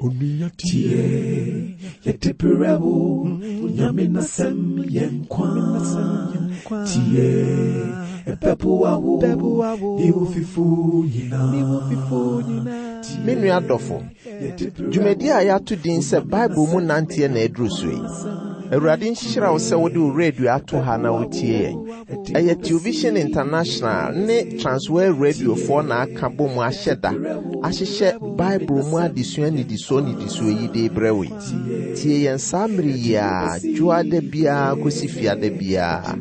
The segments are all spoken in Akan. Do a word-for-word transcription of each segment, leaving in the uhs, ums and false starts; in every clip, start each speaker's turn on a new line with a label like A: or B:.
A: Tie, yɛde berɛ wo, Nyame n'asɛm yɛ nkwa. Tie, ɛbɛboa wo, ne wo fifo nyinaa.
B: Me nua dɔfo, dwumadi a yɛato din sɛ Bible mu nanteɛ na aduru so yi. Awurade nhyira wo sɛ wode wo radio ato ha na wotie yɛn. Ɛyɛ Television International ne Transworld Radiofoɔ na aka bɔ mu ahyɛ da ahyehyɛ Bible mu adesua nnidisoɔ nnidisoɔ yi de brɛ wo yi. Tie yɛn saa mmere yi a dwoada biara kɔsi fiada biara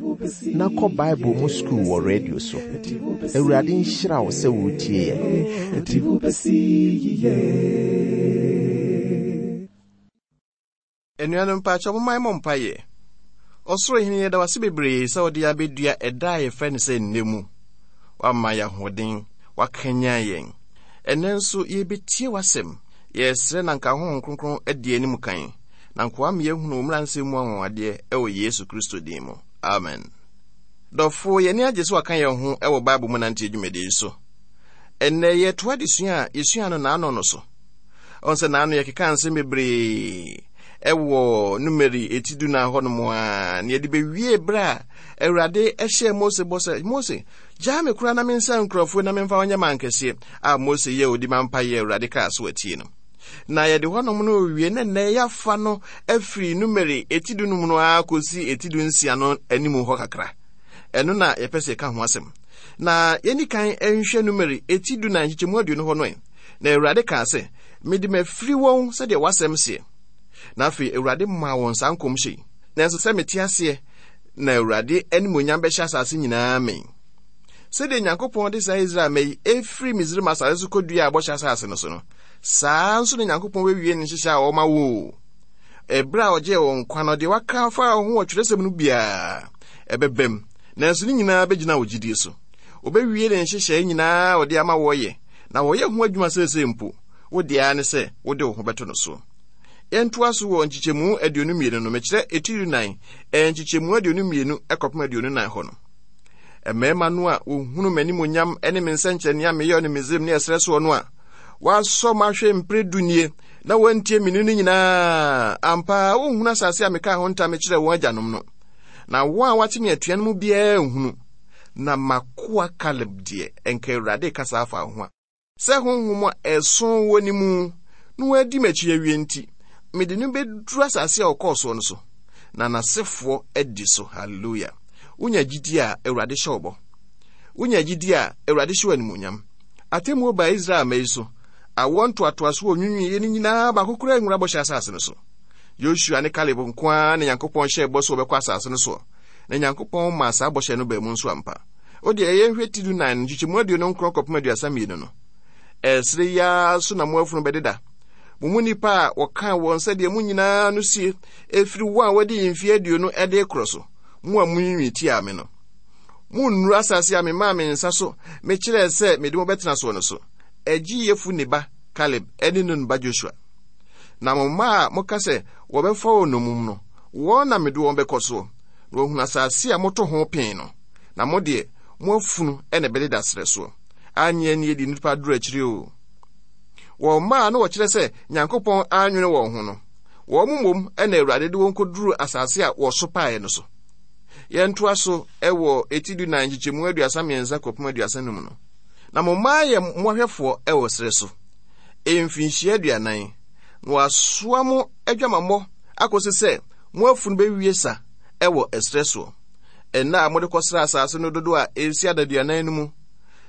B: na kɔ Bible mu sukuu wɔ radio so. Awurade nhyira wo sɛ wotie yɛn.
A: Ɛde wo bɛsi yiye.
C: Anuanom mpaakyɛw momma yɛmmɔ mpaeɛ. Ɔsoro hene yɛda wase bebree sɛ wode abɛdua ɛda a yɛfrɛ no sɛ nnɛ mu. Woama yɛ ahoɔden, woakanyan yɛn. Ɛnnɛ nso yɛbɛtie w'asɛm. Yɛsrɛ na nka Honhom Kronkron adi anim kan, na nka woama yɛahunu wo mmaransɛm mu anwanwadeɛ ɛwɔ Yesu Kristo din mu. Amen. Dɔfo, yɛn ani agye sɛ waka yɛn ho ɛwɔ Bible mu nanteɛ dwumadie yi so. Ɛnnɛ yɛtoa adesua a yɛsua no n'ano no so. Ɔn sɛ n'ano yɛkeka nsɛm bebree ɛwɔ Numeri eti du na hɔ nom a na yɛde bɛwie berɛ a Awurade ɛhyɛɛ Mose bɔ sɛ, Mose, gyaa me koraa na mensa nkurɔfoɔ na memfa wɔnyɛ mankɛseɛ a Mose yɛ odi ma mpayɛ Awurade kaa so atie no. Na yɛde hɔnom no wie na nnɛ yɛafa no afiri Numeri eti du num no ara kɔsi eti du nsia no anim hɔ kakra. Ɛno na yɛpɛ sɛ yɛka ho asɛm. Na yɛni kan nhwɛ Numeri eti du na nkyekyɛmu aduonu hɔ no ɛ. Na Awurade kaa sɛ, mede mafiri wɔn sɛdeɛ w'asɛm seɛ. Na afei Awurade maa wɔn saa nkɔmhyɛ yi. Nanso sɛ mete aseɛ na Awurade animuonyam bɛhyɛ asase nyinaa mɛn. Sɛdeɛ Nyankopɔn de saa Israel mma yi efiri Misraim asase so kɔdua a bɔhyɛ asase no so no, saa nso na Nyankopɔn bɛwie ne nhyehyɛ a ɔma wo. Ɛberɛ a ɔgyee wɔn nkwa no, deɛ waka afa ho wɔ twerɛsɛm no biara ɛbɛbam, nanso ne nyinaa bɛgyina wo gyidie so. Ɔbɛwie ne nhyehyɛe nyinaa a ɔde ama wɔyɛ, na wɔyɛ ho adwuma seesei mpo. Wo deɛ ara ne sɛ wode wo ho bɛto no so. Yɛntoa so wɔ nkyekyɛmu aduonu mmienu no, mekyerɛ etiri nan, nkyekyɛmu aduonu mmienu kɔpem aduonu nan hɔ no. Mmarima no a wɔhunu m'animuonyam ne me nsɛnkyerɛnne a meyɛɛ no Misraim ne ɛserɛ soɔ no a wɔasɔ m'ahwɛ mpere du nie na wɔantie me no nyinaa, ampa wɔnhunu asase a mekaa ho ntam kyerɛɛ wɔn agyanom no. Na wɔn a wɔate me atua no mu biara nhunu. Na m'akoa Kaleb deɛ, ɛnka Awurade kasa afa ho a, sɛ honhom a ɛso wɔ ne mu na wadi m'akyi awie nti, mede no bɛduru asase a ɔkɔɔ soɔ no so, na n'asefoɔ adi so. Hallelujah. Wonya gyidi a Awurade hyɛ wo bɔ. Wonya gyidi a Awurade hyɛ wo animuonyam. Atemmuo baa Israel mma yi so. Awoɔ ntoatoasoɔ onwinwiiɛ no nyinaa baako koraa nwura bɔhyɛ asase no so. Yosua ne Kaleb nko ara na Nyankopɔn hyɛɛ bɔ sɛ wɔbɛkɔ asase no soɔ, na Nyankopɔn maa saa bɔhyɛ no baa mu nso ampa. O deɛ ɛyɛ nhwɛ ti du nan nkyekyɛmu aduonu nkron kɔpem aduasa mmienu no. Ɛserɛ yi ara so na mo afunu bɛdeda. Mo mu nnipa a wɔkaa wɔn sɛdeɛ mo nyinaa no sie, ɛfiri wɔn a wɔadi mfeɛ aduonu de rekorɔ so, mo a monwiinwii tiaa me no. Monnuru asase a memaa me nsa so mekyerɛɛ sɛ mede mo bɛtena soɔ no so. Ɛgye Yefune ba Kaleb ne Nun ba Josua. Na mo mma a moka sɛ wɔbɛfa wɔn nnommum no, wɔn na mede wɔn bɛkɔ soɔ, na wɔahunu asase a moto ho pee no. Na mo deɛ, mo afunu na ɛbɛdeda serɛ soɔ. Anyɛ ne yɛdi nnipa duru akyiri o. Wɔn mma a na wɔkyerɛ sɛ Nyankopɔn anwene wɔn ho no, wɔn mmom na Awurade de wɔn kɔduru asase a wɔsopaeɛ no so. Yɛntoa so wɔ eti du nan nkyekyɛmu aduasa mmiɛnsa kɔpem aduasa num no. Na mo mma ayɛ mmoahwɛfoɔ wɔ serɛ so mfinhyia aduanan, na wɔasoa mo adwamammɔ akɔsi sɛ mo afunu bɛwie sa wɔ ɛserɛ soɔ. Nna a mode kɔsra asase no dodoɔ a ɛsi adaduanan no mu,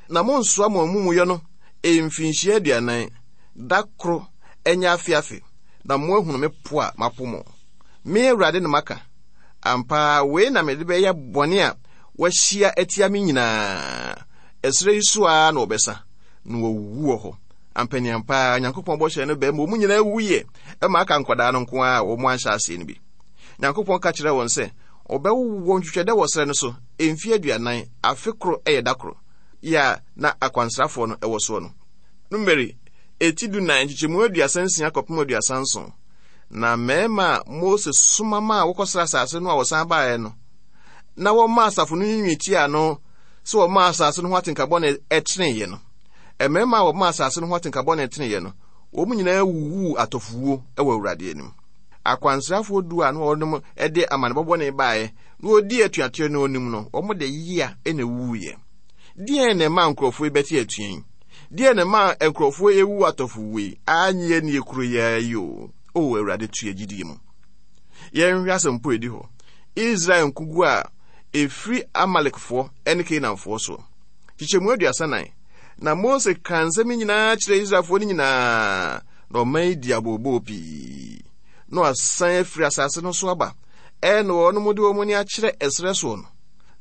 C: na monsoa mo amumuyɔ no mfinhyia aduanan, da koro ɛnyɛ afe afe, na moahunu me po a mapo mo. Me Awurade na maka. Ampa wei na mede bɛyɛ bɔne a wɔahyia atia me nyinaa. Ɛserɛ yi so ara na wɔbɛsa, na wɔawuwu wɔ hɔ. Ampaniampa Nyankopɔn bɔhyɛ no bɛn ma wɔn nyinaa wuyɛ, ɛma aka nkwadaa no nko ara a wɔn anhyɛ aseɛ no bi. Nyankopɔn ka kyerɛɛ wɔn sɛ ɔbɛwowɔ ntwitwɛdɛ wɔ serɛ no so mfeɛ aduanan, afe koro yɛ da koro, yɛ a na akwansrafoɔ no wɔ soɔ no. Numeri eti du nan nkyekyɛmu aduasa nsia kɔpem aduasa nson. Na mmarima a Mose soma maa wɔkɔsra asase no a wɔsan baeɛ no, na wɔmaa asafo no nwiinwii tiaa no sɛ wɔmaa asase no ho atenka bɔne teneeɛ no. Mmarima a wɔmaa asase no ho atenka bɔne teneeɛ no, Wɔn nyinaa wuwuu atɔfowuo wɔ Awurade anim. Akwansrafoɔ du a na wɔnom de amanebɔ bɔne baeɛ na wɔdii atuateɛ no anim no, wɔn de yea na ɛwuwuiɛ. Deɛn na ɛmaa nkurɔfoɔ yi bɛte atua yi? Deɛn na ɛmaa nkurɔfoɔ yi wu atɔfowuo yi? Anyɛ nie kuro yi ara yi o. O Awurade, to yɛn gyidie mu. Yɛnhwɛ asɛmpo a ɛdi hɔ. Israel nkoguo a ɛfiri Amalekfoɔ ne Kanaanfoɔ soɔ. Kyekyɛmu aduasa nan. Na Mose kaa nsɛm yi nyinaa kyerɛɛ Israelfoɔ no nyinaa, na ɔman yi dii abooboo pii. Na wɔasan afiri asase no so aba, ɛna wɔnom de wɔn ani akyerɛ ɛserɛ soɔ no.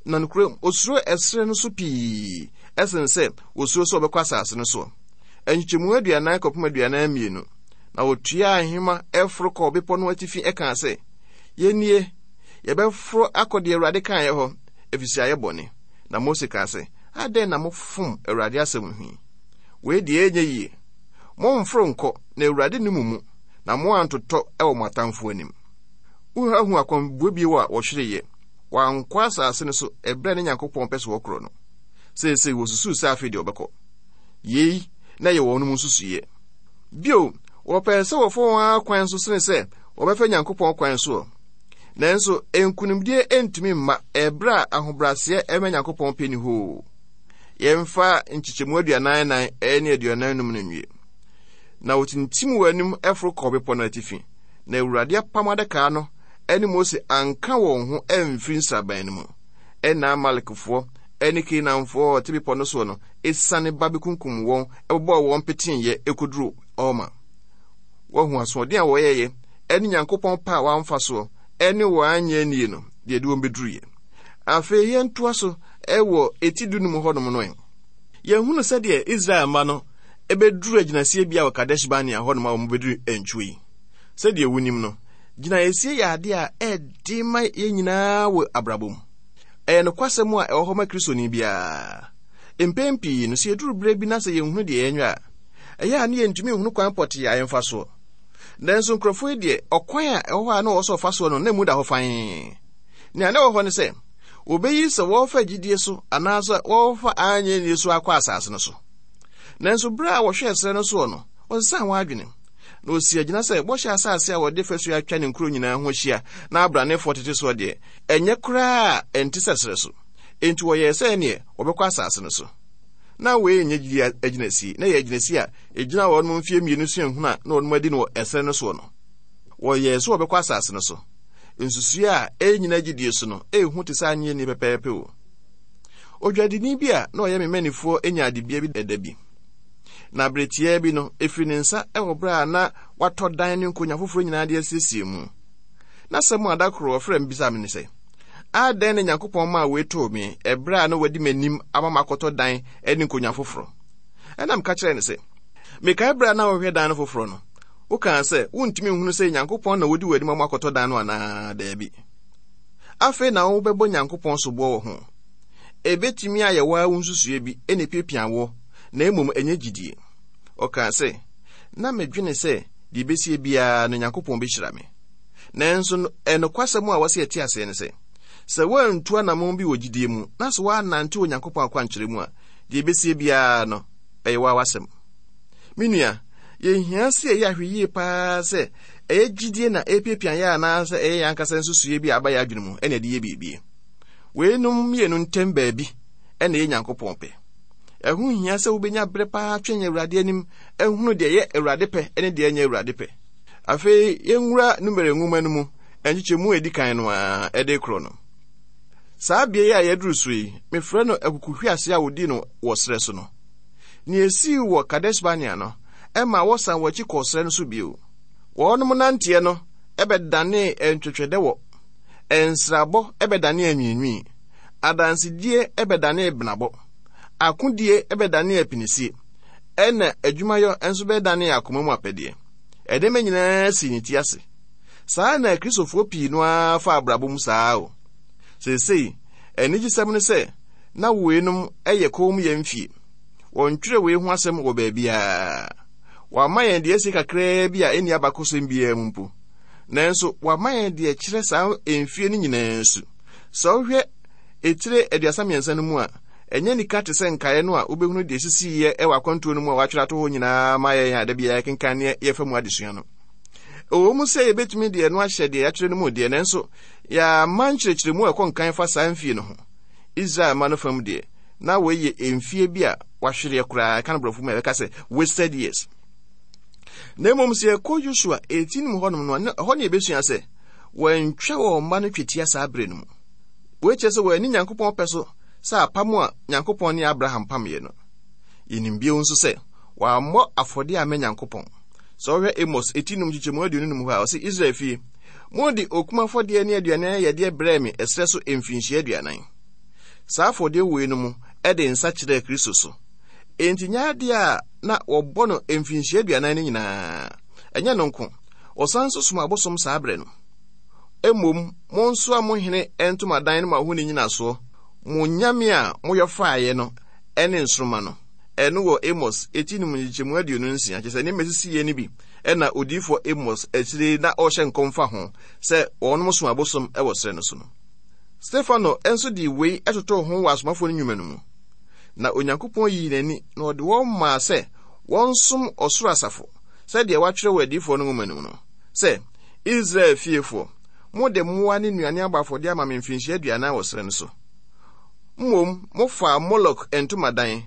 C: Na nokorɛm, osuro ɛserɛ no so pii ɛsen sɛ osuro sɛ ɔbɛkɔ asase no soɔ. Nkyekyɛmu aduanan kɔpem aduanan mmienu. Na wɔtuaa nhema ɛforo kɔɔ bepɔ no atifi ɛkaa sɛ, Yɛnnie, yɛbɛforo akɔ deɛ Awurade kaeɛ hɔ, ɛfiri sɛ ayɛ bɔne. Na Mose kaa sɛ, Adɛn na mofom Awurade asɛm ho yi? Wei deɛ ɛnyɛ yie. Momforo nkɔ, na Awurade nni mo mu, na moantotɔ wɔ mo atamfoɔ anim. Woahu akwanbuo bio a wɔhwereeɛ. Wɔankɔ asase no so ɛberɛ a ne Nyankopɔn pɛ sɛ wɔkorɔ no. Seesei wɔsusuu sɛ afei deɛ wɔbɛkɔ. Yei na ɛyɛ wɔn mu nsusuiɛ. Bio, wɔpɛɛ sɛ wɔfa wɔn ara kwan so sene sɛ wɔbɛfa Nyankopɔn kwan soɔ. Nanso nkonimdie ntumi mma ɛberɛ a ahobrɛaseɛ ɛma Nyankopɔn pɛ ni hoo. Yɛmfa nkyekyɛmu aduanan nan ne aduanan num no nwie. Na wɔtintim wɔn anim foro kɔɔ bepɔ no atifi, na Awurade apam adaka no ne Mose anka wɔn ho amfiri nsraban no mu. Ɛnna Amalekfoɔ ne Kanaanfoɔ a wɔte bepɔ no soɔ no esiane ba bɛkunkum wɔn bobɔɔ wɔn peteeɛ kɔduruu Horma. Wɔahu asoɔden a wɔyɛeɛ ne Nyankopɔn pɛ a wɔamfa soɔ ne wɔn anyɛ annie no deɛ ɛde wɔn bɛduruiɛ. Afei yɛntoa so wɔ eti dunum hɔnom no ɛ. Yɛhunu sɛdeɛ Israel mma no bɛduru agyinasie bea wɔ Kadesh Barnea hɔnom a wɔbɛduru ntwo yi. Sɛdeɛ wonim no, gyinaeɛsie yɛ adeɛ a ɛde ma yɛn nyinaa wɔ abrabɔ mu. Ɛyɛ nokwasɛm a ɛwɔ hɔ ma Kristoni biara. Mpɛn pii no, sɛ yɛduru berɛ bi na sɛ yɛnhunu deɛ yɛnyɛ a, ɛyɛ a ne yɛntumi nhunu kwan pɔtee a yɛmfa soɔ. Nanso nkurɔfoɔ yi deɛ, ɔkwan a ɛwɔ hɔ a na wɔwɔ sɛ wɔfa soɔ no, na emu da hɔ fann. Nea na ɛwɔ hɔ ne sɛ, wɔbɛyi sɛ wɔrefa gyidie so anaasɛ wɔrefa anyɛ nnie so akɔ asase no so. Nanso berɛ a wɔhwɛɛ serɛ no soɔ no, wɔsesaa wɔn adwene. Na wɔsii agyina sɛ bɔhyɛ asase a wɔde fasuo atwa ne nkuro nyinaa ho ahyia na abranefoɔ tete soɔ deɛ, ɛnyɛ koraa a ɛnte sɛ serɛ so. Enti wɔyɛɛ sɛ ɛneɛ wɔbɛkɔ asase no so. Na wei nyɛ gyidie agyinasie, na ɛyɛ agyinasie a ɛgyina wɔn mfeɛ mmienu suahunu a na wɔn adi no wɔ ɛserɛ no soɔ no. Wɔyɛɛ sɛ wɔbɛkɔ asase no so. Nsusuiɛ a ɛnnyina gyidie so no, ɛhu te sɛ anyɛ ni pɛpɛɛpɛ o. Odwadini bi a na ɔyɛ me manifoɔ nyaa adebea bi ɛda bi. Na bere tiaa bi no, ɛfiri ne nsa wɔ berɛ a na watɔ dan ne nkonnwa foforɔ nyinaa de asiesie mu. N'asɛm a da koro ɔfrɛɛ me bisaa me ne sɛ, Adɛn na Nyankopɔn maa wei too me ɛberɛ a na wadi m'anim ama makɔtɔ dan ne nkonnwa foforɔ? Ɛna meka kyerɛɛ no sɛ, Mekae berɛ a na wohwehwɛ dan no foforɔ no, wokaa sɛ wontumi nhunu sɛ Nyankopɔn na wodi w'anim ama akɔtɔ dan no anaa daabi. Afei na wobɛbɔ Nyankopɔn soboɔ wɔ ho. Ebetumi ayɛ wo ara wo nsusuiɛ bi na epiapia woɔ, na mmom ɛnyɛ gyidie. Ɔkaa sɛ, Na medwene sɛ deɛ ɛbɛsie biara no Nyankopɔn bɛhyira me. Nanso ɛnokwasɛm a wɔsɛ yɛte aseɛ ne sɛ, sɛ woantu anammɔn bi wɔ gyidie mu na sɛ woannante Onyankopɔn akwankyerɛ mu a, deɛ ɛbɛsie biara no, ɛyɛ wo ara w'asɛm. Me nua, yɛhia sɛ yɛyɛ ahwɛyie paa sɛ ɛyɛ gyidie na ɛrepiapia yɛn anaasɛ ɛyɛ yɛn ankasa nsusuiɛ bi a aba yɛn adwene mu ɛna ɛde yɛ biribi. Weinom mmienu ntam baabi ɛna ɛyɛ Nyankopɔn pɛ. Ɛho hia sɛ wobɛnya berɛ paa twɛn Awurade anim ahunu deɛ ɛyɛ Awurade pɛ ne deɛ ɛnyɛ Awurade pɛ. Afei yɛnwura Numere nwoma no mu nkyekyɛmu a ɛdi kan no ara ɛde korɔ no. Saa bea yi a yɛaduru so yi, mefrɛ no akukuhwease a wɔdii no wɔ serɛ so no. Nea esii wɔ Kades-Barnea no, ɛmaa wɔsan wɔn akyi kɔɔ serɛ no so bio. Wɔnom nanteɛ no bɛdanee ntwɛtwɛdɛwɔ, nsrabɔ bɛdanee anwiinwii, adansedie bɛdanee benabɔ, akodie bɛdanee apinisie, ɛna adwumayɔ nso bɛdanee akoma mu apɛdeɛ. Nneɛma nyinaa sii ne ti ase. Saa na Akristofoɔ pii no ara fa abrabɔ mu saa o. Seesei, anigyesɛm ne sɛ na weinom yɛ kommyɛ mfie. Wɔntwerɛ wei ho asɛm wɔ baabiara. Wɔama yɛn deɛ asie kakraa bi a ɛnni abakɔsɛm biara mu mpo. Nanso wɔama yɛn deɛ ɛkyerɛ saa mfie no nyinaa su. Sɛ wohwɛ etire aduasa mmiɛnsa no mu a, Ɛnyɛ nika te sɛ nkaeɛ no a wobɛhunu deɛ ɛsisiiɛ ɛwɔ akwantuo no mu a wɔatwerɛ ato hɔ nyinaa ma yɛn a da biara yɛkenkan ne yɛfa mu adesua no. Ɛwɔ mu sɛ yɛbɛtumi deɛ no ahyɛ deɛ yɛatwerɛ no mu deɛ, nanso yɛama nkyerɛkyerɛmu a ɛkɔ nkan fa saa mfie no ho. Israel ma no fam deɛ, na wei yɛ mfie bi a wahwereɛ koraa, ɛka no borɔfo mu a yɛbɛka sɛ wasted years. Na mmom sɛ yɛkɔ Yosua eighteen mu hɔnom no, ɛhɔ ne yɛbɛsua sɛ wɔantwa wɔn mma no twetia saa berɛ no mu. Wei kyerɛ sɛ wɔanni Nyankopɔn pɛ so sɛ apam a Nyankopɔn ne Abraham pameɛ no. Yɛnim bio nso sɛ wɔammɔ afɔdeɛ ama Nyankopɔn. Sɛ wohwɛ Amos eti num nkyekyɛmu aduonu num hɔ a, ɔse Israel fie, mode okum afɔdeɛ ne aduane ayɛdeɛ brɛɛ me ɛserɛ so mfinhyia aduanan. Saa afɔdeɛ wei no mu ɛde nsa kyerɛɛ Kristo so. Enti nyɛ adeɛ a na wɔbɔ no mfinhyia aduanan no nyinaa. Ɛnyɛ no nko, wɔsan nso som abosom saa berɛ no. Mmom, monsoa mo hene ntomadan no ma ho ne nyinasoɔ, mo nyame a moyɛ faeɛ no ɛne nsoromma no. Ɛno wɔ Amos eti num nkyekyɛmu aduonu nsia, kyerɛ sɛ nneɛma esisiiɛ no bi ɛna odiyifoɔ Amos akyire na ɔrehyɛ nkɔm fa ho sɛ wɔnom som abosom ɛwɔ serɛ no so no. Stefano nso de wei ɛtotoo ho wɔ asomafoɔ no nnwuma no mu. Na Onyankopɔn yii n'ani na ɔde wɔn maa sɛ wɔnsom ɔsoro asafo sɛdeɛ wɔatwerɛ wɔ adiyifoɔ no nwoma no mu no, sɛ Israel fiefoɔ, mode mmoa ne nnuane abɔ afɔdeɛ ama me mfinhyia aduanan wɔ serɛ no so. Mmom, mofaa Molok ntomadan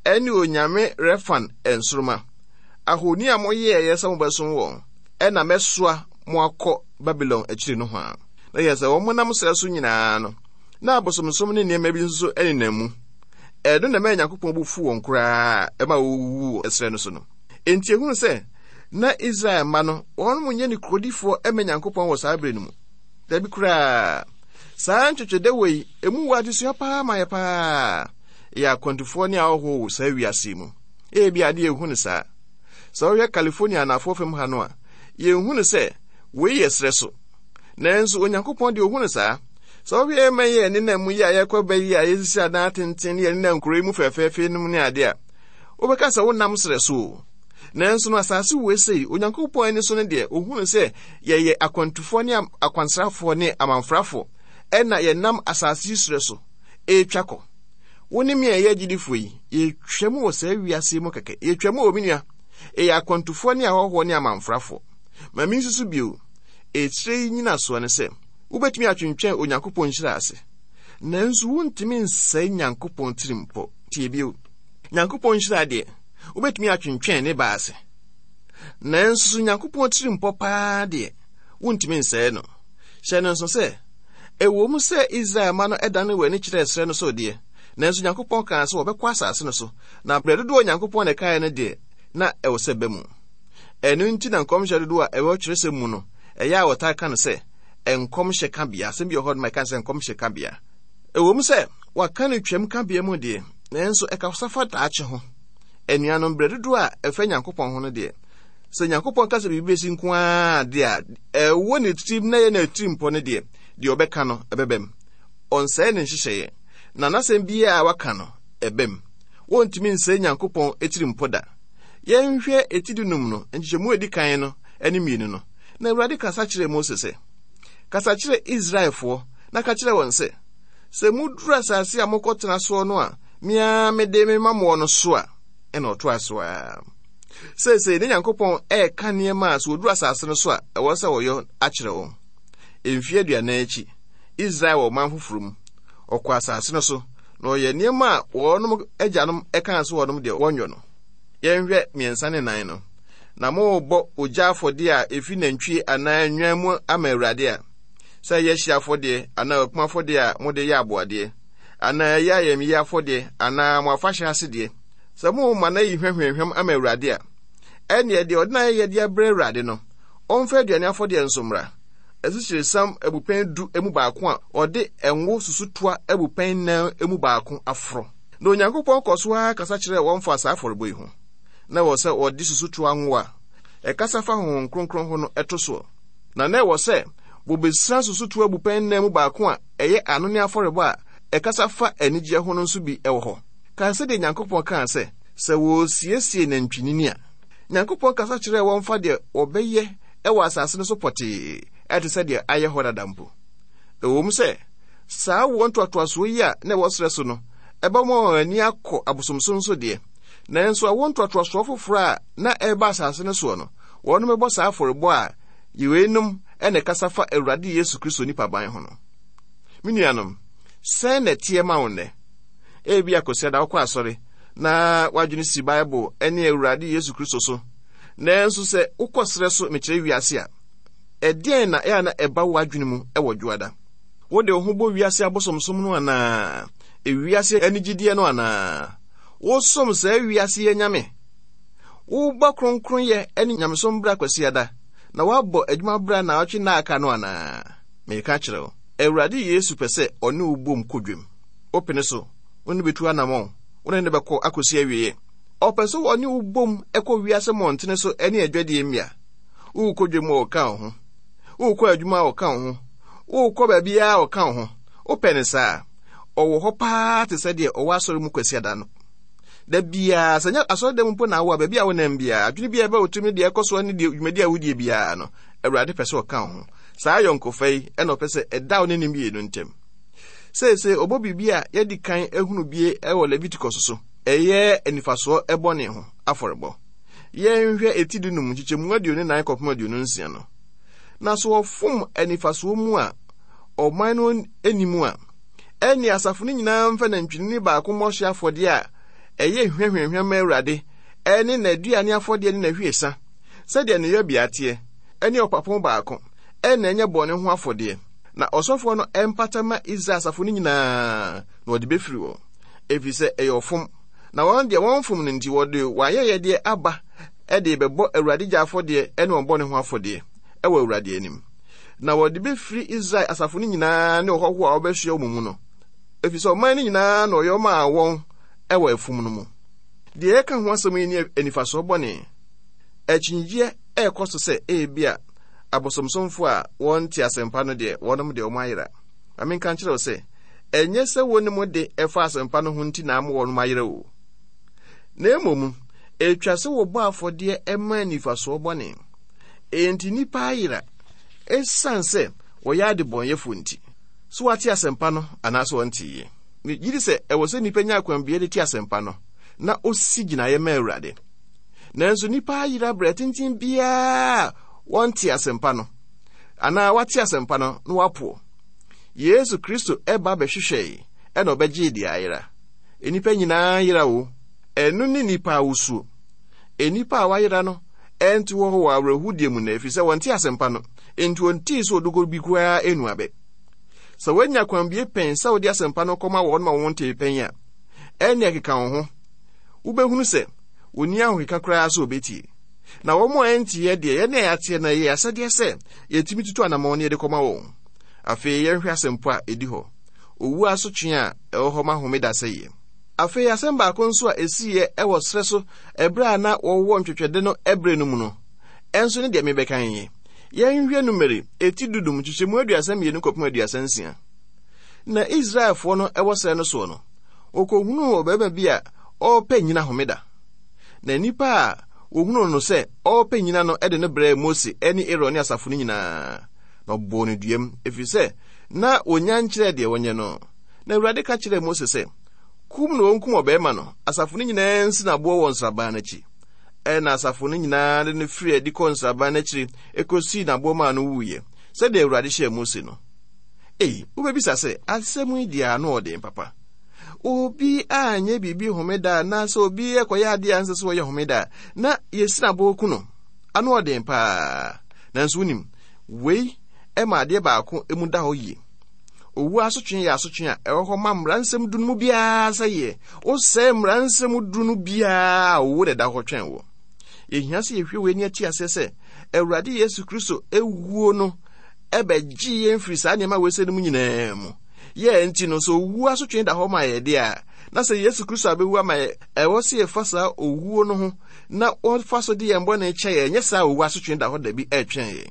C: ɛne onyame Refan nsoromma, ahoni a moyɛeɛ sɛ mobɛsom wɔn, ɛna mɛsoa mo akɔ Babilon akyiri no ho a. Na yɛ sɛ wɔn nam serɛ so nyinaa no, na abosomsom ne nneɛma bi nso nenam mu. Ɛno na ɛmaa Nyankopɔn bo fu wɔn koraa ɛma wɔwuwu wɔ serɛ no so no. Enti ehunu sɛ na Israel mma no, wɔn mo nyɛ ne kurodifoɔ ɛma Nyankopɔn wɔ saa bere no mu. Dabi koraa. Saa ntwetwedɛ wɔ yi, emu wɔ adesua paa ma yɛ paa. Yɛ akwantufoɔ ne ahɔhoɔ wɔ saa wiase mu. Ebi ade yɛnhu no saa. Sɛ wohwɛ California anafoɔ fam ha no a, yɛnhu no sɛ wei yɛ serɛ so. Nanso Onyankopɔn deɛ ohu no saa. Sɛ wohwɛ yɛn man yi a yɛnenam mu yi a yɛkɔ bɛ yi a yɛsisi adan atenten ne yɛnenam nkuro yi mu fɛfɛɛfɛ no mu ne ade a, wobɛka sɛ wonam serɛ so o. Nanso no asase wei sei, Onyankopɔn ani so no deɛ, ohu no sɛ yɛyɛ akwantufoɔ ne akwansrafoɔ ne amanfrafoɔ, ɛna yɛnam asase yi serɛ so ɛretwa kɔ. Wo ne me a yɛyɛ agyidifoɔ yi, yɛtwa mu wɔ saa wiase mu kɛkɛ. Yɛtwa mu wɔ me nua. Ɛyɛ akwantufoɔ ne ahɔhoɔ ne amanfrafoɔ. Ma me nsusu bio, ɛkyerɛ yi nyinasoɔ ne sɛ, wobɛtumi atwentwɛn Onyankopɔn nhyira ase, nanso wontumi nsɛe Nyankopɔn tirimpɔ. Tie bio. Nyankopɔn nhyira deɛ, wobɛtumi atwentwɛn ne ba ase, nanso Nyankopɔn tirimpɔ paa deɛ, wontumi nsɛe no. Hyɛ no nso sɛ, ɛwɔ mu sɛ Israel mma no ɛdane wɔn ani kyerɛɛ serɛ no so deɛ, nanso Nyankopɔn kaa sɛ wɔbɛkɔ asase no so, na berɛ dodoɔ Nyankopɔn na ɛkaeɛ no deɛ, na ɛwɔ sɛ bɛ mu. Ɛno nti na nkɔmhyɛ dodoɔ a ɛwɔ twerɛsɛm mu no, ɛyɛ a wɔtaa ka no sɛ nkɔmhyɛ kabea. Asɛm bi wɔ hɔ no ma ɛka sɛ nkɔmhyɛ kabea. Ɛwɔ mu sɛ wɔaka no twam kabea mu deɛ, nanso ɛkasa fa daakye ho. Anuanom, berɛ dodoɔ a ɛfa Nyankopɔn ho no deɛ, sɛ Nyankopɔn ka sɛ biribi bɛsi nko ara deɛ a, ɛwɔ ne tirim na ɛyɛ n'atirimpɔ no deɛ, deɛ ɔbɛka no ɛbɛbɛm. Ɔnsɛe ne nhyehyɛeɛ, na n'asɛm biara a waka no ɛbɛm. Wɔntumi nsɛe Nyankopɔn atirimpɔ da. Yɛnhwɛ eti dunum no, nkyekyɛmu a edi kan no ne mmienu no. Na Awurade kasa kyerɛɛ Mose sɛ, Kasa kyerɛ Israelfoɔ na ka kyerɛ wɔn sɛ, sɛ muduru asase a mokɔtena soɔ no a, me ara mede mema moɔ no so a, ɛna ɔtoa so ara. Seesei ne Nyankopɔn ɛreka nneɛma a sɛ wɔduru asase no so a, ɛwɔ sɛ wɔyɔ akyerɛ wɔn. Mfeɛ aduanan akyi, Israel wɔ ɔman foforɔ mu. Ɔkɔ asase no so, na ɔyɛ nneɛma a wɔnom agyanom ɛkaa sɛ wɔnom deɛ wɔnyɔ no. Yɛnhwɛ mmiɛnsa ne nan no. Na morebɔ ogya afɔdeɛ a ɛfiri nantwie anaa nnwan mu ama Awurade a, sɛ ɛyɛ hye afɔdeɛ anaa okum afɔdeɛ a mode yɛ aboadeɛ, anaa ɛyɛ ayamyie afɔdeɛ anaa mo afahyɛ asedeɛ, sɛ morema no ayi hwahwamhwam ama Awurade a, ɛnneɛ deɛ ɔde n'ayɛyɛdeɛ abrɛ Awurade no, ɔmfa aduane afɔdeɛ nso mmra. Asikyiresiam abupɛn du mu baako a ɔde ngo susutoa abupɛn nnan mu baako aforo. Na Onyankopɔn kɔ so ara kasa kyerɛɛ wɔn fa saa afɔrebɔ yi ho. Na ɛwɔ sɛ wɔde susutoa ngo a ɛkasa fa Honhom Kronkron ho no ɛto soɔ. Na na ɛwɔ sɛ bobesra susutoa abupɛn nnan mu baako a ɛyɛ anonne afɔrebɔ a ɛkasa fa anigyeɛ ho no nso bi wɔ hɔ. Kae sɛdeɛ Nyankopɔn kaa sɛ, sɛ wɔresiesie nantwinini a, Nyankopɔn kasa kyerɛɛ wɔn fa deɛ wɔbɛyɛ wɔ asase no so pɔtee, ɛte sɛ deɛ ayɛ hɔ dada mpo. Ɛwɔ mu sɛ saa wɔn ntoatoasoɔ yi a na ɛwɔ serɛ so no ɛbɛma wɔn ani akɔ abosomsom so deɛ, nanso awo ntoatoasoɔ foforɔ a na ɛreba asase no soɔ no, wɔn bɛbɔ saa afɔrebɔ a weinom ɛna ɛkasa fa Awurade Yesu Kristo nipaban ho no. Me nuanom, sɛn na ɛteɛ ma wo nnɛ? Ebi akɔsi da wokɔ asɔre na w'adwene si Bible ne Awurade Yesu Kristo so, nanso sɛ wokɔ serɛ so mekyerɛ wiase a, ɛdeɛn na ɛyɛ na ɛba w'adwene mu ɛwɔ dwoada? Wode wo ho bɔ wiase abosomsom no anaa? Ewiase anigyedeɛ no anaa? Wosom saa wiase yɛ nyame? Wobɔ kronkronyɛ ne nyamesom bra kwasiada na woabɔ adwuma bra na ɔtwe nna aka no anaa? Meka kyerɛ wo, Awurade Yesu pɛ sɛ ɔne wo bom kɔ dwam. Wopene so, wo ne bɛtu anammɔn, wo ne ne bɛkɔ akɔsi awieɛ. Ɔpɛ sɛ ɔne wo bom kɔ wiase mmɔntene so ne adwadeɛ mmea. Worekɔ dwam a ɔka wo ho, worekɔ adwuma a ɔka wo ho, worekɔ baabiara a ɔka wo ho. Wopɛ ne saa, ɔwɔ hɔ paa te sɛ deɛ ɔwɔ asɔre mu kwasiada no. Da biara, sɛ nyɛ asɔre dɛm mpo na awo a, baabi a wonam biara, adwene biara ɛbɛ wo tirim ne deɛ ɛkɔ soɔ ne deɛ dwumadi a wodie biara no, Awurade pɛ sɛ ɔka wo ho. Saa ayɔnkofa yi ɛna ɔpɛ sɛ ɛda wo ne ne mmienu ntam. Seesei ɔbɔ biribi a yɛdi kan ehunu bie ɛwɔ Leviticus so, ɛyɛ anifasoɔ ɛbɔne ho afɔrebɔ. Yɛnhwɛ eti dunum nkyekyɛmu aduonu nan kɔpem aduonu nsia no. Na so wɔfom anifasoɔ mu a ɔman no anim a, ɛne asafo no nyinaa mfa nantwinini baako mmɔ hye afɔdeɛ a ɛyɛ hwahwahwa ma Awurade, ɛne n'aduane afɔdeɛ ne n'ahwiesa, sɛdeɛ ne yɔbea teɛ, ɛne ɔpapo baako, ɛna ɛnyɛ bɔne ho afɔdeɛ. Na ɔsɔfoɔ no ɛmpata ma Israel asafo no nyinaa, na wɔde bɛfiri wɔn, ɛfiri sɛ ɛyɛ ɔfom. Na wɔn deɛ wɔn fom no nti, wɔde wɔn ayɛyɛdeɛ aba ɛde bɛbɔ Awurade gya afɔdeɛ ɛne wɔn bɔne ho afɔdeɛ ɛwɔ Awurade anim. Na wɔde bɛfiri Israel asafo no nyinaa ne ɔhɔhoɔ a wɔbɛsoɛ wɔn mu no, ɛfiri sɛ ɔman no nyinaa na ɔyɛ ɔmaa wɔn ɛwɔ afum no mu. Deɛ yɛka ho asɛm yi ne anifasoɔ bɔne. Akyinnyegyeɛ ɛrekɔ so sɛ ebi a abosomsomfoɔ a wɔnte asɛmpa no deɛ, wɔnom deɛ wɔn ayera. Ma menka nkyerɛ wo sɛ, ɛnyɛ sɛ wɔnim de ɛfa asɛmpa no ho nti na ama wɔnom ayera o. Na mmom, ɛtwa sɛ wɔbɔ afɔdeɛ ɛma anifasoɔ bɔne. Enti nnipa ayera ɛsiane sɛ wɔyɛ adebɔnyɛfoɔ nti. So wɔate asɛmpa no anaasɛ wɔnteeɛ? Megye di sɛ ɛwɔ sɛ nnipa nya akwambea de te asɛmpa no na osi gyinaeɛ ma Awurade. Nanso nnipa ayera berɛ tenten biara wɔnte asɛmpa no anaa wɔate asɛmpa no na wɔapoɔ. Yesu Kristo ɛba bɛhwehwɛe ɛna ɔbɛgyee deɛ ayera. Nnipa nyinaa yera o. Ɛno ne nnipa awosuo. Nnipa a wɔayera no ɛnte hɔ wɔ awerɛhodie mu na ɛfiri sɛ wɔnte asɛmpa no, enti wɔntii sɛ ɔdogo bi koraa ɛnu abɛ. Sɛ woanya kwanbie pɛn sɛ wode asɛmpa no kɔma wɔn ma wɔntee pɛn a, ɛne ɛkeka wo ho. Wobɛhunu sɛ wɔnni ahokeka koraa sɛ wɔbɛtie. Na wɔn a ɛnteɛ deɛ, yɛne a yɛateɛ no, ɛyɛ asɛdeɛ sɛ yɛtumi tutu anammɔn ne yɛde kɔma wɔn. Afei yɛnhwɛ asɛmpo a ɛdi hɔ, owu asotwe a ɛwɔ hɔ ma homeda sɛeɛ. Afei asɛm baako nso a ɛsiiɛ ɛwɔ serɛ so ɛberɛ a na wɔwɔ ntwetwɛde no ɛberɛ no mu no, ɛnso ne deɛ mebɛka yi. Yɛnhwɛ Numeri eti dudum nkyekyɛmu aduasa mmienu kɔpem aduasa nsia. Na Israelfoɔ no ɛwɔ serɛ no soɔ no, wɔkɔhunuu ɔbarima bi a ɔrepɛ nyina homeda. Na nnipa a wɔhunuu no sɛ ɔrepɛ nyina no de no brɛɛ Mose ne Aaron ne asafo no nyinaa, na ɔbɔɔ no duam, ɛfiri sɛ na wɔnya nkyerɛɛ deɛ wɔnyɛ no. Na Awurade ka kyerɛɛ Mose sɛ, kum na wɔnkum ɔbarima no, asafo no nyinaa nsi n'aboɔ wɔ nsraban no akyi. Ɛna asafo no nyinaa de no firii adi kɔɔ nsraban no akyiri ɛkɔsii n'aboɔ maa no wuiɛ, sɛdeɛ Awurade hyɛɛ Mose no. Ei, wobɛbisa sɛ, asɛm yi deɛ ano ɔden papa. Obi anyɛ biribi homeda anaasɛ obi ɛkɔyɛ adeɛ a ɛnsɛ sɛ ɔyɛ homeda na yɛsi n'aboɔ ku no, ano ɔden paa. Nanso wonim, wei ɛma adeɛ baako mu da hɔ yie. Owu asotwe yɛ asotwe a ɛwɔ hɔ ma mmara nsɛm du no mu biara sɛ yɛ. Wosɛe mmara nsɛm du no biara a, owu na ɛda hɔ twɛn wo. Yɛhia sɛ yɛhwɛ wei ani ate aseɛ sɛ Awurade Yesu Kristo ewuo no ɛbɛgye yɛn firi saa nneɛma wei sɛ no mu nyinaa mu. Yɛ nti no, sɛ owu asotwe da hɔ ma yɛ deɛ a, na sɛ Yesu Kristo abɛwu ama yɛ, ɛwɔ sɛ yɛfa saa owuo no ho na wɔfa so de yɛn bɔne kyɛ yɛn, ɛnyɛ saa owu asotwe da hɔ da bi ɛretwɛn yɛn.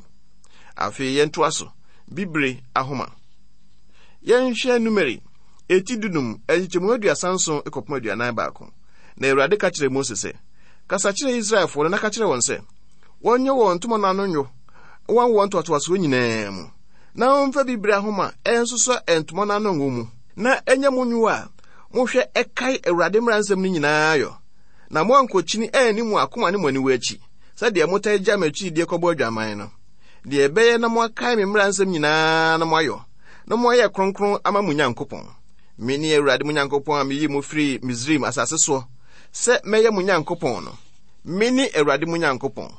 C: Afei yɛntoa so, bibire ahoma. Yɛnhwɛ Numeri eti dunum nkyekyɛmu aduasa nson kɔpem aduanan baako. Na Awurade ka kyerɛɛ Mose sɛ, kasa kyerɛ Israelfoɔ no na ka kyerɛ wɔn sɛ, wɔnyɛ wɔn ntoma no ano nnwo wɔn wɔn ntoatoasoɔ nyinaa mu, na wɔmfa bibire ahoma ɛnsosɔ ntoma no ano ngo mu, na ɛnyɛ mo nnwo a Mohwɛ ɛkae Awurade mmara nsɛm no nyinaa yɔ. Na moankɔkyini anni mo akoma ne mo aniwa akyi, sɛdeɛ motaa gya m'akyiridie kɔbɔ adwaman no. Deɛ ɛbɛyɛ na moakae me mmara nsɛm nyinaa na moayɔ, na moayɛ kronkron ama mo Nyankopɔn. Mene Awurade mo Nyankopɔn a meyii mo firii Misraim asase soɔ sɛ mɛyɛ mo Nyankopɔn no. Mene Awurade mo Nyankopɔn.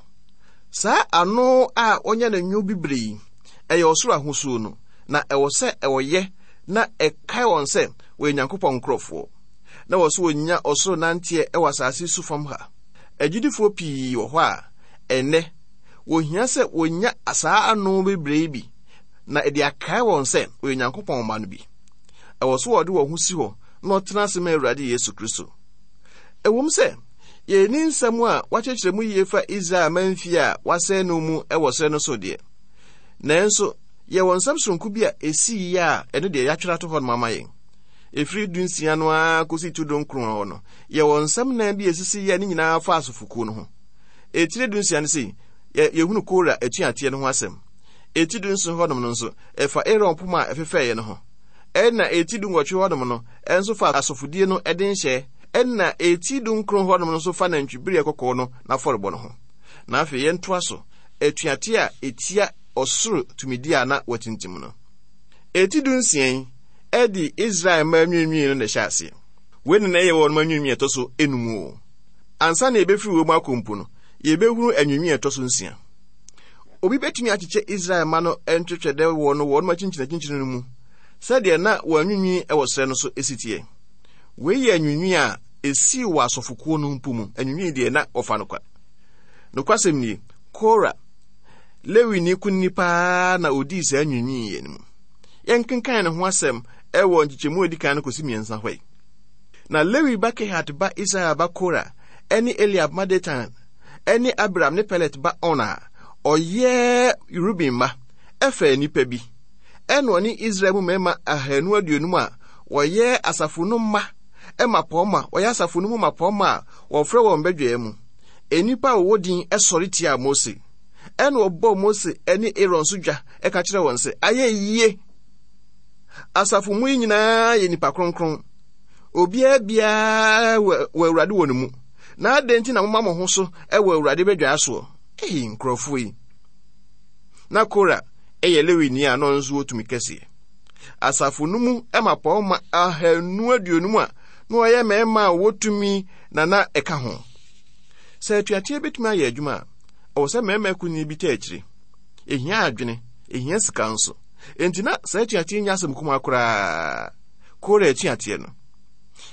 C: Saa ano a ɔnya no nwo bibire yi, ɛyɛ ɔsoro ahosuo no, na ɛwɔ sɛ ɛwɔyɛ na ɛkae wɔn sɛ wɔyɛ Nyankopɔn nkurɔfoɔ. Na wɔ so wɔnya ɔsoro nanteɛ ɛwɔ asase so fam ha. Agyidifoɔ pii wɔ hɔ a ɛnnɛ wɔhia sɛ wɔnya saa ano bebree yi bi na ɛde akae wɔn sɛ wɔyɛ Nyankopɔn mma no bi. Ɛwɔ so wɔde wɔn ho si hɔ na ɔtena ase ma Awurade Yesu Kristo. Ɛwom sɛ yɛnni nsɛm a wɔakyerɛkyerɛ mu yie fa Israel manfie a wɔasɛe no mu wɔ serɛ no so deɛ, nanso yɛwɔ nsɛm soronko bi a ɛsii yie a ɛno deɛ yɛatwerɛ ato hɔ nom ama yɛn. Ɛfiri dunsia no ara kɔsi tu dunkron hɔ no, yɛwɔ nsɛm nan bi a ɛsisi yie a ne nyinaa fa asofokuo no ho. Ɛtire dunsia no sei, yɛhunu Kora atuateɛ no ho asɛm. Ɛti dunson hɔnom no nso, ɛfa Aaron poma a ɛfefɛeɛ no ho. Ɛna ɛti dunwɔtwe hɔnom no, ɛnso fa asɔfodie no ɛde nhyɛ. Ɛna ɛti dunkron hɔnom no nso fa nantwibereɛ kɔkɔɔ no n'afɔrebɔ no ho. Na afei yɛntoa so, atuateɛ a ɛtia ɔsoro tumidie a na wɔatintim no. Ɛti dunsia yi, ɛde Israel mma anwiinwii no na ɛhyɛ aseɛ. Wei na na ɛyɛ wɔn anwiinwii ɛtɔ so enum o. Ansa na yɛbɛfiri wɔ mu akɔ mpo no, yɛbɛhunu anwiinwii ɛtɔ so nsia. Obi bɛtumi akyekyɛ Israel mma no ntwetwɛdɛ wɔ no wɔn akyinkyinakyinkyini no mu sɛdeɛ na wɔn anwiinwii wɔ serɛ no so esi teɛ. Wei yɛ anwiinwii a esii wɔ asɔfokuo no mpo mu. Anwiinwii deɛ na wɔfa no kwa. Nokwasɛm nie, Kora, Lewini kunini paa na odii saa anwiinwii yi no mu. Yɛnkenkan ne ho asɛm ɛwɔ nkyekyɛmu a edi kan no kɔsi mmiɛnsa hɔ yi. Na Lewi ba Kehat ba Israel ba Kora ɛne Eliab ma Datan ɛne Abiram ne Pelet ba On a ɔyɛ Ruben mma ɛfaa nnipa bi. Ɛna ɔne Israel mu mmarima ahanu aduonum a wɔyɛ asafo no mma mmapɔmma, wɔyɛ asafo no mu mmapɔmma a wɔfrɛ wɔn badwaa mu. Nnipa a wɔwɔ din sɔre tiaa Mose. Ɛna ɔbɔɔ Mose ne Aaron so dwa ɛka kyerɛ wɔn sɛ, ayɛ yie. Asafo mu yi nyinaa yɛ nnipa kronkron. Obiara biara wɔ Awurade wɔ ne mu. Na adɛn nti na moma mo ho so wɔ Awurade badwaa soɔ? Ei, nkurɔfoɔ yi. Na Kora yɛ Lewini a na ɔno nso wɔ tumi kɛseɛ. Asafo no mu mmapɔmma ahanu aduonum a na wɔyɛ mmarima a wɔwɔ tumi na na ɛka ho. Sɛ atuateɛ bɛtumi ayɛ adwuma a, ɛwɔ sɛ mmarima akunini bi taa akyire. Ɛhia adwene, ɛhia sika nso. Enti na saa atuateɛ nyɛ asɛm kumaa koraa. Kora atuateɛ no.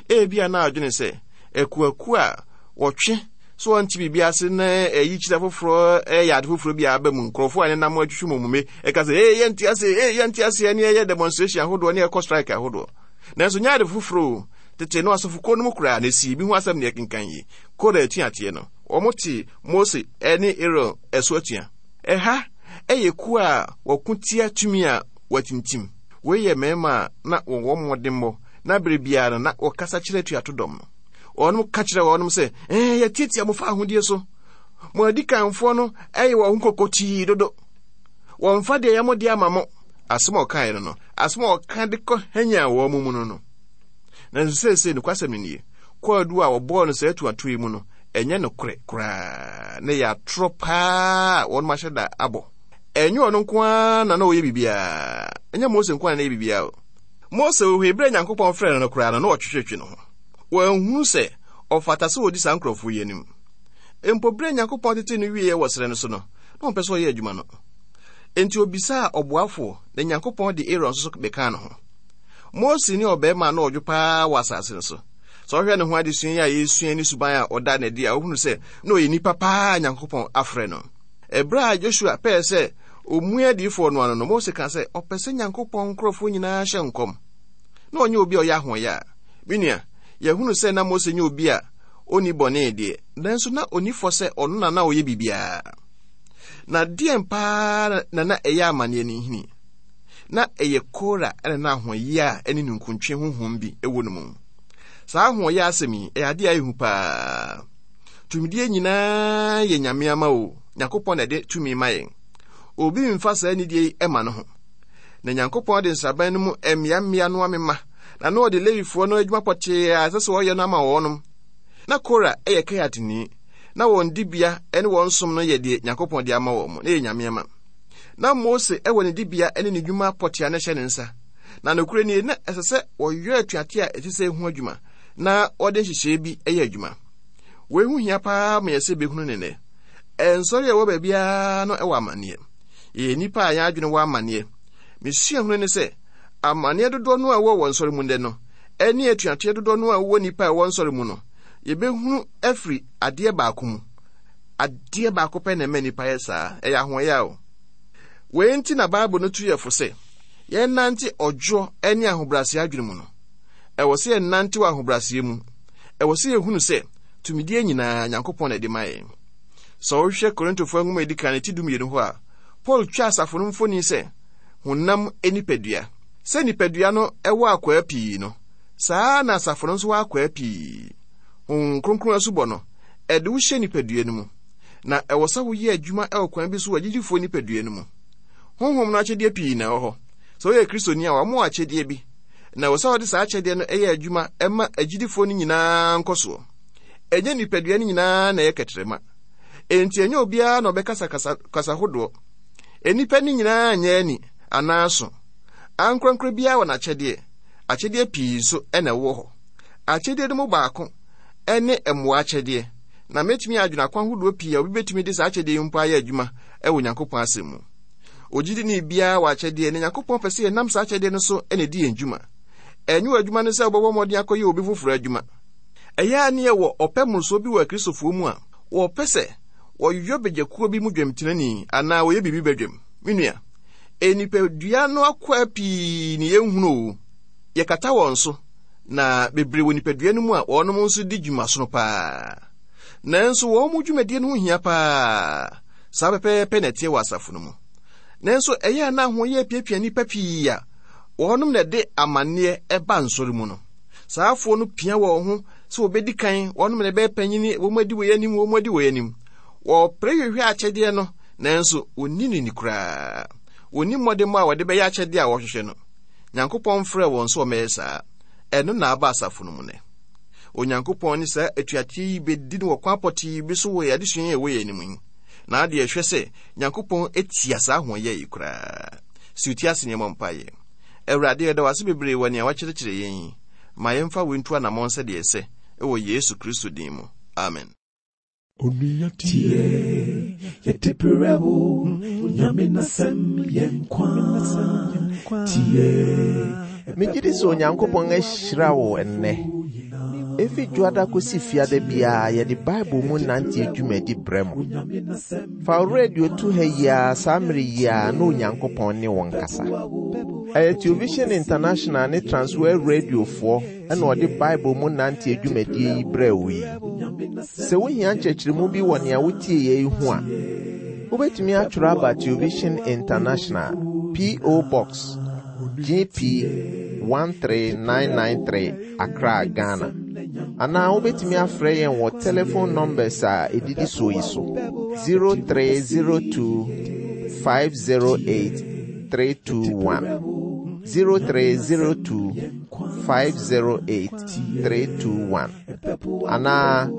C: Ebia na adwene sɛ akuakuo a wɔtwe so wɔnte biribi ase na ɛyi kyerɛ foforɔ ɛyɛ ade foforɔ bi a aba mu nkurɔfoɔ a nenam atwitwi mu mume ɛka sɛ ee yɛnte ase ee yɛnte ase ɛne ɛyɛ demonstration ahodoɔ ne ɛkɔ strike ahodoɔ. Nanso nyɛ ade foforɔ o. Tete no asɔfokuo no mu koraa na esi bi ho asɛm ne ɛkenkan yi. Kora atuateɛ no, wɔn te Mose ne Aaron ɛso atua. Ɛha ɛyɛ kuo a wɔko tia tumi a wɔatintim. Wei yɛ mmarima a na wɔwɔ mmɔdemmɔ na bere biara no na wɔkasa kyerɛ atuato dɔm no. Wɔnom ka kyerɛ wɔnom sɛ, ɛɛ yɛtiatia mo fa ahodie so. Mo adikanfoɔ no ɛyɛ wɔn ho kɔkɔtii dodo. Wɔmfa deɛ ɛyɛ mo deɛ ama mo. Asɛm a ɔkaeɛ no no, asɛm a ɔka de kɔ hanya wɔn mu no no. Nanso seesei nokwasɛm no nie, kwaadu a wɔbɔɔ no saa atuato yi mu no, ɛnyɛ nokorɛ koraa, na ɛyɛ atorɔ paa a wɔnom ahyɛ da abɔ. Ɛnyɛ ɔno nko ara na na ɔyɛ biribiara. Ɛnyɛ Mose nko ara na ɛyɛ biribiara o. Mose wɔ hɔ bere a Nyankopɔn frɛɛ no no koraa no, na ɔtwetwetwe ne ho. Wanhunu sɛ ɔfata sɛ ɔdi saa nkurɔfoɔ yi anim. Mpo bere a Nyankopɔn tetee no wieeɛ wɔ serɛ no so no, na ɔmpɛ sɛ ɔyɛ adwuma no. Enti obisaa ɔboafoɔ, na Nyankopɔn de Aaron nso so bɛkaa ne ho. Mose ne ɔbarima a na ɔdwo paa wɔ asase no so. Sɛ ɔhwɛ ne ho adesua yi a yɛresua ne suban a ɔda no adi a, wohunu sɛ na ɔyɛ nipa paa a Nyankopɔn afrɛ no. Ɛberɛ a Joshua pɛɛ sɛ ɔmua adiyifoɔ no ano no, Mose kaa sɛ ɔpɛ sɛ Nyankopɔn nkurɔfoɔ nyinaa hyɛ nkɔm. Na ɔnyɛ obi a ɔyɛ ahoɔyɛ a. Me nua, yɛhunu sɛ na Mose nyɛ obi a ɔnni bɔne deɛ, nanso na ɔnni fɔ sɛ ɔno na na ɔyɛ biribiara. Na deɛn paa na na ɛyɛ amanneɛ no nhini? Na ɛyɛ Kora ne na ahoɔyɛ a ɛne ninkuntwe honhom bi wɔ no mu. Saa ahoɔyɛ asɛm yi, ɛyɛ adeɛ a ɛyɛ hu paa. Tumidie nyinaa yɛ Nyame ama o. Nyankopɔn na ɛde tumi ma yɛn. Obi mfa saa nidie yi ma no ho. Na Nyankopɔn de nsraban no mu mmeammea no amema Na na ɔde Lewifoɔ no adwuma pɔtee a ɛsɛ sɛ wɔyɛ no ama wɔnom. Na Kora yɛ Kehatni. Na wɔn dibea ne wɔn som no yɛ deɛ Nyankopɔn de ama wɔn, na ɛyɛ Nyame ama. Na Mose wɔ ne dibea ne ne dwuma pɔtee a na ɛhyɛ ne nsa. Na nokorɛ nie, na ɛsɛ sɛ wɔyɔ atuateɛ a ɛte sɛ ho adwuma, na wɔde nhyehyɛeɛ bi yɛ adwuma. Wei ho hia paa ma yɛ sɛ bɛhunu ne nnɛ. Nsɔre a ɛwɔ baabiara no wɔ amanneɛ. Yɛyɛ nnipa a yɛn adwene wɔ amanneɛ. Mesua hunu ne sɛ, amanneɛ dodoɔ no a ɛwɔ wɔ nsɔre mu nnɛ no, ɛne atuateɛ dodoɔ no a ɛwɔ nnipa a ɛwɔ nsɔre mu no, yɛbɛhunu afiri adeɛ baako mu. Adeɛ baako pɛ na ɛma nnipa yɛ saa, ɛyɛ ahoɔyɛ o. Wei nti na Bible no tu yɛ fo sɛ, yɛnnante ɔdwoɔ ne ahobrɛaseɛ adwene mu no. Ɛwɔ sɛ yɛnnante wɔ ahobrɛaseɛ mu. Ɛwɔ sɛ yɛhunu sɛ, tumidie nyinaa Nyankopɔn na ɛde ma yɛn. Sɛ wohwɛ Korintofoɔ nwoma a ɛdi kan ti dumienu hɔ a, Paul twa asafo no mfoni sɛ honam nipadua. Sɛ nipadua no wɔ akwaa pii no, saa na asafo no nso wɔ akwaa pii. Honhom Kronkron asubɔ no, ɛde wo hyɛ nipadua no mu. Na ɛwɔ sɛ woyɛ adwuma wɔ kwan bi so wɔ agyidifoɔ nipadua no mu. Honhom no akyɛdeɛ pii na ɛwɔ hɔ. Sɛ woyɛ Kristoni a, wɔama wo akyɛdeɛ bi. Na ɛwɔ sɛ wɔde saa akyɛdeɛ no yɛ adwuma ma agyidifoɔ no nyinaa nkɔsoɔ. Ɛnyɛ nipadua no nyinaa na ɛyɛ kɛtrɛma. Enti ɛnyɛ obiara na ɔbɛkasa kasa, kasa hodoɔ. Nnipa no nyinaa nyɛ ani anaa aso. Ankorankoro biara wɔ n'akyɛdeɛ. Akyɛdeɛ pii nso na ɛwɔ hɔ. Akyɛdeɛ no mu baako ne mmoa akyɛdeɛ. Na mɛtumi adwene akwan hodoɔ pii a obi bɛtumi de saa akyɛdeɛ yi mpo ayɛ adwuma wɔ Onyankopɔn asɛm mu. Ogyidini biara wɔ akyɛdeɛ, na Nyankopɔn pɛ sɛ yɛnam saa akyɛdeɛ no so na ɛdi yɛn dwuma. Ɛnyɛ w'adwuma ne sɛ wobɛbɔ mmɔden akɔyɛ obi foforɔ adwuma. Ɛyɛ a ne yɛwɔ ɔpɛ mmorosoɔ bi wɔ Akristofoɔ mu a wɔpɛ sɛ wɔyɔ badwakuo bi mu dwamtenani anaa wɔyɛ biribi badwam. Me nua, nipadua no akwaa pii ne yɛnhunu o. Yɛkata wɔn so, na bebree wɔ nipadua no mu a wɔnom nso di dwumasono paa. Nanso wɔn mu dwumadie no ho hia paa. Saa pɛpɛɛpɛ na ɛteɛ wɔ asafo no mu. Nanso ɛyɛ a na ahoɔyɛ apiapia nnipa pii a wɔnom na ɛde amanneɛ ɛba nsɔre mu no. Saa afoɔ no pia wɔn ho sɛ wɔbɛdi kan, wɔnom na ɛbɛyɛ panyini, wɔn adi wɔ anim, wɔn adi wɔ anim. Wɔpere hwehwɛ akyɛdeɛ no, nanso wɔnni no ni koraa. Wɔnni mmɔdemmɔ a wɔde bɛyɛ akyɛdeɛ a wɔhwehwɛ no. Nyankopɔn mfrɛɛ wɔn sɛ wɔmmɛyɛ saa. Ɛno na aba asafo no mu nnɛ. Onyankopɔn ne saa atuateɛ yi bɛdi no wɔ kwan pɔtee bi so wɔ yɛn adesua yi a ɛwɔ yɛn anim yi. Na adeɛ ɛhwɛ sɛ Nyankopɔn atia saa ahoɔyɛ yi koraa. Si wo ti ase nneɛma mpaeɛ. Awurade, yɛda wo ase bebree wɔ nea wakyerɛkyerɛ yɛn yi. Ma yɛmfa wei ntu anammɔn sɛdeɛ ɛsɛ wɔ Yesu Kristo din mu. Amen.
A: Onua tie, yɛde brɛ wo, Onyame n'asɛm yɛ nkwa. Tie.
B: Megye di sɛ Onyankopɔn ahyira wo ɛnnɛ. Efi Dwoada kosi Fiada biara yɛde Bible mu nante dwumadi brɛ mo. Fa wo radio to ha yi ara saa mmere yi ara na Onyankopɔn ne wo nkasa. Ɛyɛ Television International ne Transworld Radiofoɔ ɛna ɔde Bible mu nante dwumadie yi brɛ wo yi. Sɛ wohia nkyerɛkyerɛmu bi wɔ nea wotie yɛ yi ho a, wobɛtumi atwerɛ aba Television International, P O. Box G P one three nine nine three, Accra, Ghana. Anaa wobɛtumi afrɛ yɛn wɔ telephone numbers a ɛdidi soɔ yi so: zero three zero two five zero eight three two one, zero three zero two five zero eight three two one, anaa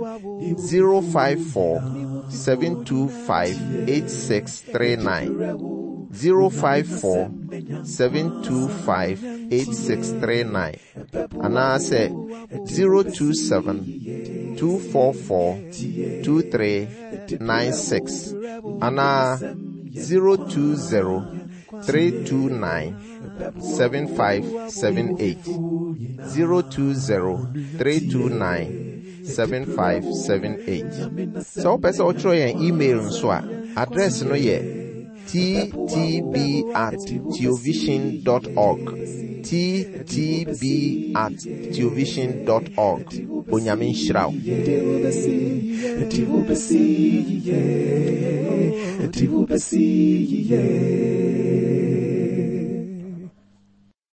B: zero five four seven two five eight six three nine, zero five four seven two five eight six three nine, anaasɛ zero two seven two four four two three nine six, anaa zero two zero three two nine seven five seven eight, zero two zero three two nine seven five seven eight. Sɛ wopɛ sɛ wotwerɛ yɛn email nso a, address no yɛ T T B at theovision dot org, T T B at theovision dot org. Onyame nhyira wo.
A: Yɛde wo bɛsi yie, yɛde wo bɛsi yie.